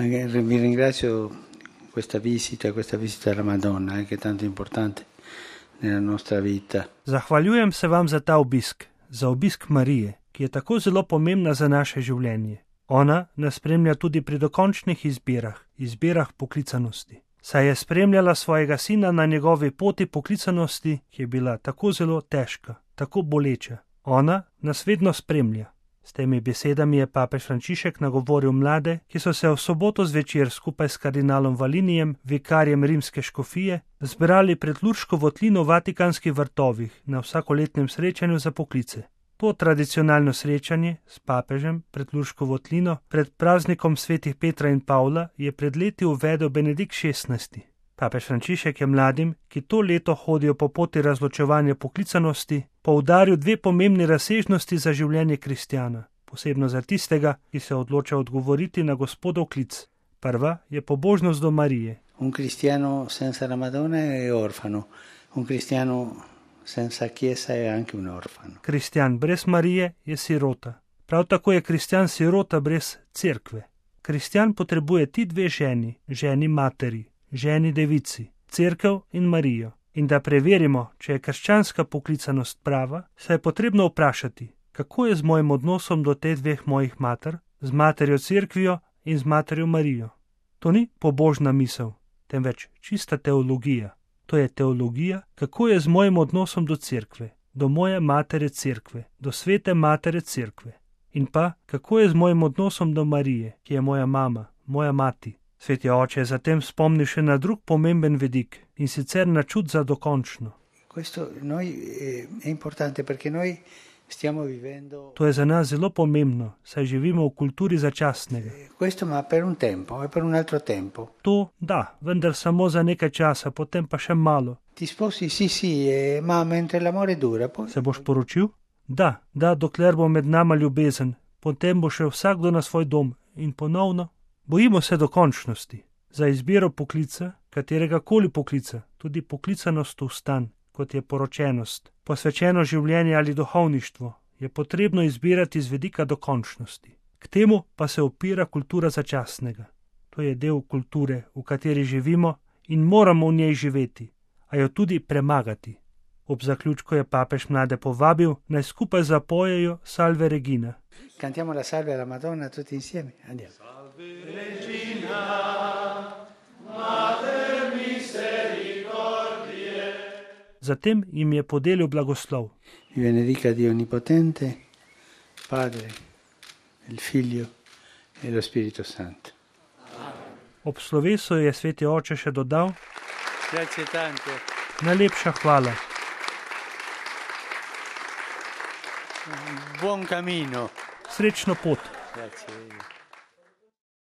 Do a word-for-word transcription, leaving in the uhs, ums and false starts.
Vi ringrazio questa visita, questa visita alla Madonna, eh, che è tanto importante nella nostra vita. Zahvaljujem se vam za ta obisk, za obisk Marije, ki je tako zelo pomembna za naše življenje. Ona nas spremlja tudi pri dokončnih izbirah, izbirah poklicanosti. Saj je spremljala svojega sina na njegovi poti poklicanosti, ki je bila tako zelo težka, tako boleča. Ona nas vedno spremlja. S temi besedami je papež Frančišek nagovoril mlade, ki so se v soboto zvečer skupaj s kardinalom Valinijem, vikarjem rimske škofije, zbrali pred Lurško votlino v Vatikanskih vrtovih na vsakoletnem srečanju za poklice. To tradicionalno srečanje s papežem pred Lurško votlino pred praznikom svetih Petra in Pavla je pred leti uvedel Benedikt šestnajsti. Papež Frančišek je mladim, ki to leto hodijo po poti razločevanja poklicanosti, poudaril dve pomembni razsežnosti za življenje kristjana, posebno za tistega, ki se odloča odgovoriti na Gospodov klic. Prva je pobožnost do Marije. Un cristiano senza la Madonna è orfano, un cristiano senza chiesa è anche un orfano. Kristjan brez Marije je sirota. Prav tako je kristjan sirota brez cerkve. Kristjan potrebuje ti dve ženi, ženi materi, ženi devici, cerkev in Marijo. In da preverimo, če je krščanska poklicanost prava, se je potrebno vprašati, kako je z mojim odnosom do teh dveh mojih mater, z materjo cerkvijo in z materjo Marijo. To ni pobožna misel, temveč čista teologija. To je teologija, kako je z mojim odnosom do cerkve, do moje matere cerkve, do svete matere cerkve. In pa, kako je z mojim odnosom do Marije, ki je moja mama, moja mati. Sveti oče je zatem spomnil še na drug pomemben vidik, in sicer na čut za dokončno. To je za nas zelo pomembno, saj živimo v kulturi začasnega. To, da, vendar samo za nekaj časa, potem pa še malo. Se boš poročil? Da, da, dokler bo med nama ljubezen, potem bo še vsakdo na svoj dom in ponovno. Bojimo se dokončnosti. Za izbiro poklica, katerega koli poklica, tudi poklicanost v stan, kot je poročenost, posvečeno življenje ali duhovništvo, je potrebno izbirati z vidika dokončnosti. K temu pa se opira kultura začasnega. To je del kulture, v kateri živimo in moramo v njej živeti, a jo tudi premagati. Ob zaključku je papež mlade povabil, naj skupaj zapojejo Salve Regina. Cantiamo la salve alla Madonna tutti insieme. Andiamo. Regina, Mater misericordiae. Zatem jim je podelil blagoslov. Vi benedica Dio Onnipotente, Padre, il Figlio e lo Spirito Santo. Ob slovesu je sveti oče še dodal: Grazie tante. Najlepša hvala. Buon cammino. Srečno pot. Grazie.